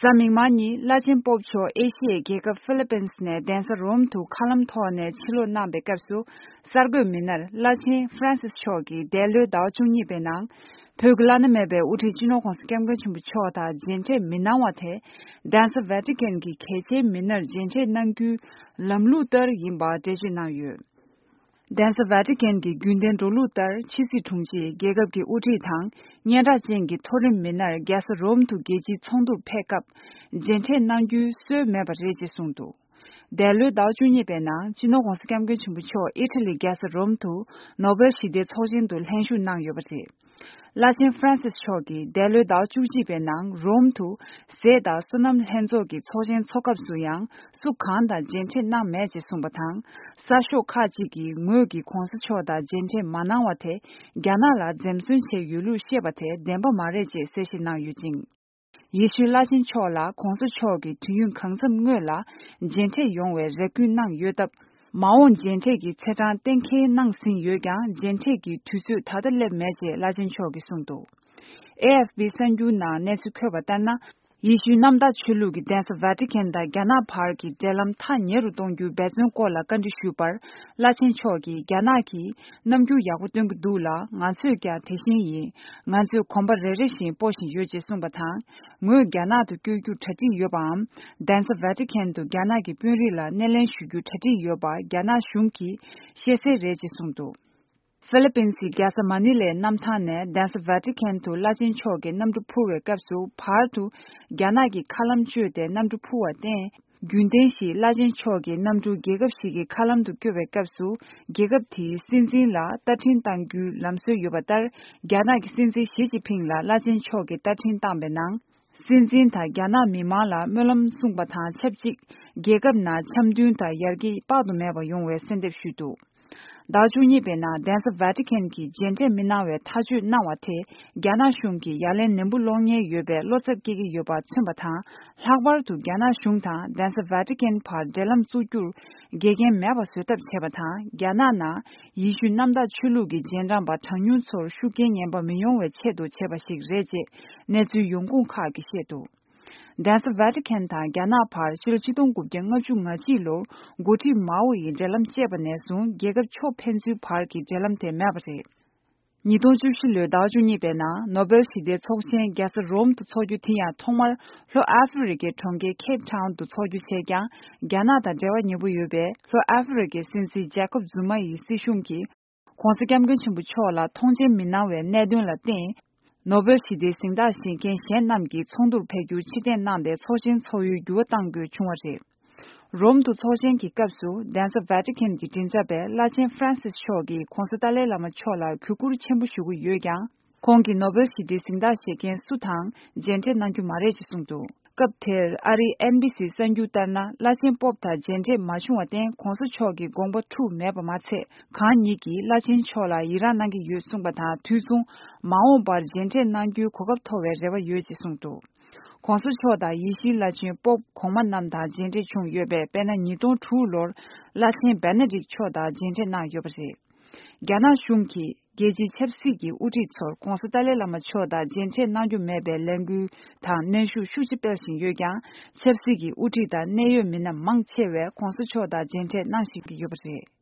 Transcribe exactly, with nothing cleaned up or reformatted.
གཟའ་མིག་དམར་ཉིན་བླ་ཆེན་པོབ་མཆོག་ཨེ་ཤི་ཡའི་རྒྱལ་ཁབ་ཧྥི་ལི་པིན་སི་ནས་གདན་ས་རོམ་དུ་མཁའ་ལམ་ཐོག་ནས་ཕྱིར་ལོག་གནང་པའི་སྐབས་སུ། གསར་འགོད་མི་སྣར་བླ་ཆེན་ཧྥ་རན་སིས་མཆོག་གིས་འདས་ལོའི་ཟླ་བ་བཅུ་གཉིས་པའི་ནང་། བོད་ཀྱི་བླ་ན་མེད་པའི་དབུ་ཁྲིད་སྤྱི་ནོར་༧གོང་ས་༧སྐྱབས་མགོན་ཆེན་པོ་མཆོག་དང་མཇལ་འཕྲད་མི་གནང་བ་དེ། གདན་ས་ཝེ་ཏི་ཀན་གྱི་གལ་ཆེའི་མི་སྣར་མཇལ་འཕྲད་གནང་རྒྱུའི་ལམ་ལུགས་ལྟར་ཡིན་པ་འགྲེལ་བརྗོད་གནང་ཡོད། གདན་ས་ཝེ་ཏི་ཀན་གྱི་རྒྱུན་ལྡན་འགྲོ་ལུགས་ལྟར། ཕྱི་སྲིད་དྲུང་ཆེས་རྒྱལ་ཁབ་ཀྱི་དབུ་ཁྲིད་དང་། སྙན་གྲགས་ཅན་གྱི་མཐོ་རིམ་མི་སྣར་རྒྱལ་ས་རོམ་དུ་རྒྱལ་སྤྱིའི་ཚོགས་འདུར་ཕེབས་སྐབས། མཇལ་འཕྲད་གནང་རྒྱུའི་སྲོལ་མེད་པ་རེད་ཅེས་གསུངས་འདུག་འདས་ལོའི་ཟླ་བ་བཅུ་གཉིས་པའི་ནང་། སྤྱི་ནོར་༧གོང་ས་༧སྐྱབས་མགོན་ཆེན་པོ་མཆོག་ཨི་ཊ་ལི་རྒྱལ་ས་རོམ་དུ་ནོ་བེལ་ཞི་བདེའི་ཚོགས་ཆེན་དུ་ལྷན་ཞུགས་གནང་ཡོད་པ་རེད། བླ་ཆེན་ཧྥ་རན་སིས་མཆོག་གིས་འདས་ལོའི་ཟླ་བ་བཅུ་གཅིག་པའི་ནང་རོམ་དུ་ཟས་དང་སོ་ནམ་ལྷན་ཚོགས་ཀྱི་ཚོགས་ཆེན་འཚོགས་སྐབས་སུ་ཡང་སུ་གང་དང་མཇལ་འཕྲད་གནང་མེད་ཅེས་གསུངས་པ་དང་། གསར་ཤོག་ཁག་ཅིག་གིས་ངོས་ཀྱིས་༧གོང་ས་མཆོག་དང་མཇལ་འཕྲད་མ་གནང་བ་དེ་རྒྱ་ནག་ལ་འཛེམ་ཟོན་བྱས་ཡོད་ལུགས་བཤད་པ་དེ་བདེན་པ་མ་རེད་ཅེས་གསལ་བཤད་གནང་ཡོད་ཅིང་། ཡེ་ཤུའི་བླ་ཆེན་མཆོག་ལ་༧གོང་ས་མཆོག་གིས་དུས་ཡུན་གང་འཚམ་སྔོན་ལ་མཇལ་འཕྲད་ཡོང་བའི་རེ་སྐུལ་གནང་ཡོད་སྟབས། མ་འོངས་མཇལ་འཕྲད་ཀྱི་ཚེས་གྲངས་གཏན་འཁེལ་གནང་ཟིན་ཡོད་ཀྱང་། མཇལ་འཕྲད་ཀྱི་དུས་ཚོད་ད་ལྟ་སླེབས་མེད་ཅེས་བླ་ཆེན་མཆོག་གིས་གསུངས་འདུག་ཨེ་ཨེཕ་པི་གསར་འགྱུར་ནང་གནས་ཚུལ་འཁོད་པ་ལྟར་ན། ཡེ་ཤུའི་གནམ་བདག་ཆོས་ལུགས་ཀྱི་གདན་ས་ཝེ་ཏི་ཀན་དང་རྒྱ་ནག་བར་གྱི་འབྲེལ་ལམ་ཐག་ཉེ་རུ་གཏོང་རྒྱུའི་འབད་བརྩོན་སྐོར་ལ་བཀའ་འདྲི་ཞུས་པར། བླ་ཆེན་མཆོག་གིས། རྒྱ་ནག་གིས་རྣམ་འགྱུར་ཡག་པོ་སྟོན་གྱི་འདུག་ལ། ང་ཚོས་ཀྱང་དེ་བཞིན་ཡིན། ང་ཚོས་གོམ་པ་རེ་རེ་བཞིན་སྤོ་བཞིན་ཡོད་ཅེས་གསུངས་པ་དང་། ངོས་རྒྱ་ནག་ཏུ་བསྐྱོད་རྒྱུར་གྲ་སྒྲིག་ཡོད་པའམ། གདན་ས་ཝེ་ཏི་ཀན་དུ་རྒྱ་ནག་གི་དཔོན་རིགས་ལ་སྣེ་ལེན་ཞུ་རྒྱུར་གྲ་སྒྲིག་ཡོད་པ་རྒྱ་ནག་གཞུང་གིས་ཤེས་གསལ་རེད་ཅེས་གསུངས་འདུག་ཧྥི་ལི་པིན་སིའི་རྒྱལ་ས་མ་ནི་ལའི་གནམ་ཐང་ནས་གདན་ས་ཝེ་ཏི་ཀན་དུ་བླ་ཆེན་མཆོག་གི་གནམ་གྲུ་འཕུར་བའི་སྐབས་སུ། བར་དུ་རྒྱ་ནག་གི་མཁའ་ལམ་བཅད་དེ་གནམ་གྲུ་འཕུར་བར་བརྟེན། རྒྱུན་ལྡན་བཞིན་བླ་ཆེན་མཆོག་གི་གནམ་གྲུ་རྒྱལ་ཁབ་ཞིག་གི་མཁའ་ལམ་དུ་བསྐྱོད་པའི་སྐབས་སུ། རྒྱལ་ཁབ་དེའི་སྲིད་འཛིན་ལ་བསྟར་འཕྲིན་གཏང་རྒྱུའི་ལམ་སྲོལ་ཡོད་པ་ལྟར། རྒྱ་ནག་གི་སྲིད་འཛིན་ཞི་ཅིན་ཕིང་ལ་བླ་ཆེན་མཆོག་གིས་བསྟར་འཕྲིན་བཏང་པའི་ནང་། སྲིད་འཛིན་དང་རྒྱ་ནག་མི་མང་ལ་སྨོན་ལམ་གསུངས་པ་དང་ཆབས་ཅིག་རྒྱལ་ཁབ་ནང་འཆམ་མཐུན་དང་ཡར་རྒྱས་དཔག་ཏུ་མེད་པ་ཡོང་བའི་གསོལ་འདེབས་ཞུས་འདུག་ཟླ་བཅུ་གཉིས་པའི་ནང་གདན་ས་ཝེ་ཏི་ཀན་གྱིས་མཇལ་འཕྲད་མི་གནང་བའི་ཐག་གཅོད་གནང་བ་དེ། རྒྱ་ནག་གཞུང་གིས་ཡ་ལན་ནན་པོ་སློག་ཉེན་ཡོད་པའི་བློ་འཚབ་སྐྱེ་གི་ཡོད་པ་མཚོན་པ་དང་། ལྷག་པར་དུ་རྒྱ་ནག་གཞུང་དང་གདན་ས་ཝེ་ཏི་ཀན་བར་འབྲེལ་ལམ་བཙུགས་རྒྱུར་འགལ་རྐྱེན་མེད་པ་བཟོ་ཐབས་བྱས་པ་དང་། རྒྱ་ནག་ནང་ཡེ་ཤུ་གནམ་བདག་ཆོས་ལུགས་ཀྱི་རྗེས་འབྲང་པ་གྲངས་ཉུང་ཚོར་ཤུགས་རྐྱེན་ངན་པ་མི་ཡོང་བའི་ཆེད་དུ་བྱས་པ་ཞིག་རེད་ཅེས་གནས་ཚུལ་ཡོང་ཁུངས་ཁག་གིས་བཤད་འདུག་གདན་ས་ཝེ་ཏི་ཀན་དང་རྒྱ་ནག་བར་ཕྱི་ལོ་ཆིག་སྟོང་དགུ་བརྒྱ་ལྔ་བཅུ་ང་གཅིག་ལོར་འགོ་ཁྲིད་མའོ་ཡི་འབྲེལ་ལམ་བཅད་པ་ནས་བཟུང་རྒྱལ་ཁབ་ཕྱོགས་ཕན་ཚུན་བར་གྱི་འབྲེལ་ལམ་དེ་མེད་པ་རེད། ཉིས་སྟོང་བཅུ་བཞི་ལོའི་ཟླ་བ་བཅུ་གཉིས་པའི་ནང་ནོ་བེལ་ཞི་བདེའི་ཚོགས་ཆེན་རྒྱལ་ས་རོམ་དུ་འཚོགས་རྒྱུ་དེ་ཡང་ཐོག་མར་ལྷོ་ཨ་ཧྥེ་རི་ཁའི་གྲོང་ཁྱེར་ཁེབ་ཊའུན་དུ་འཚོགས་རྒྱུ་བྱས་ཀྱང་། རྒྱ་ནག་དང་འབྲེལ་བ་ཉེ་པོ་ཡོད་པའི་ལྷོ་ཨ་ཧྥེ་རི་ཁའི་སྲིད་འཛིན་ཇེ་ཀོབ་ཛུ་མ་ཡི་སྲིད་གཞུང་གིས། ༸གོང་ས་༸སྐྱབས་མགོན་ཆེན་པོ་མཆོག་ལ་མཐོང་མཆན་མི་གནང་བའི་གནད་དོན་ལ་བརྟེན། ནོ་བེལ་ཞི་བདེའི་གཟེངས་རྟགས་བཞེས་མཁན་གཞན་རྣམས་ཀྱིས་ཚོགས་འདུར་ཕེབས་རྒྱུར་ཕྱིར་འཐེན་གནང་སྟེ་ཚོགས་ཆེན་འཚོགས་ཡུལ་འགྱུར་བ་གཏང་དགོས་བྱུང་བ་རེད། རོམ་དུ་ཚོགས་ཆེན་གྱི་སྐབས་སུ་གདན་ས་ཝེ་ཏི་ཀན་གྱི་མགྲིན་ཚབ་པས་བླ་ཆེན་ཧྥ་རན་སིས་མཆོག་གིས་༸གོང་ས་ཏཱ་ལའི་བླ་མ་མཆོག་ལ་གུས་བཀུར་ཆེན་པོ་ཞུ་གི་ཡོད་ཀྱང་། ཁོང་གིས་ནོ་བེལ་ཞི་བདེའི་གཟེངས་རྟགས་བཞེས་མཁན་སུ་དང་མཇལ་འཕྲད་གནང་རྒྱུ་མ་རེད་ཅེས་གསུངས་འདུག་སྐབས་དེར་ཨ་རིའི་ཨེན་བྷི་སིའི་གསར་འགྱུར་ལྟར་ན། བླ་ཆེན་པོབ་དང་མཇལ་འཕྲད་མ་བྱུང་བར་བརྟེན། ༸གོང་ས་མཆོག་གི་དགོངས་པ་འཁྲུགས་མེད་པ་མ་ཚད། གང་ཉིད་ཀྱིས་བླ་ཆེན་མཆོག་ལ་ཡི་རངས་གནང་གི་ཡོད་གསུངས་པ་དང་། དུས་མཚུངས་མ་འོངས་པར་མཇལ་འཕྲད་གནང་རྒྱུའི་གོ་སྐབས་ཐོབ་པའི་རེ་བ་ཡོད་ཅེས་གསུངས་འདུག ༸གོང་ས་མཆོག་དང་ཡེ་ཤུའི་བླ་ཆེན་པོབ་གོང་མ་རྣམས་དང་མཇལ་འཕྲད་བྱུང་ཡོད་པས། དཔེར་ན། ཉིས་སྟོང་དྲུག་ལོར་བླ་ཆེན་བེ་ན་ཌིག་མཆོག་དང་མཇལ་འཕྲད་གནང་ཡོད་པ་རེད། རྒྱ་ནག་གཞུང་གིས་རྒྱལ་སྤྱིའི་ཆབ་སྲིད་ཀྱི་དབུ་ཁྲིད་ཚོར་༸གོང་ས་ཏཱ་ལའི་བླ་མ་མཆོག་དང་མཇལ་འཕྲད་གནང་རྒྱུ་མེད་པའི་ལས་འགུལ་དང་གནོན་ཤུགས་ཤུགས་ཆེ་སྤེལ་བཞིན་ཡོད་ཀྱང་། ཆབ་སྲིད་ཀྱི་དབུ་ཁྲིད་དང་གནད་ཡོད་མི་སྣ་མང་ཆེ་བས་༸གོང་ས་མཆོག་དང་མཇལ་འཕྲད་གནང་བཞིན་ཡོད་པ་རེད།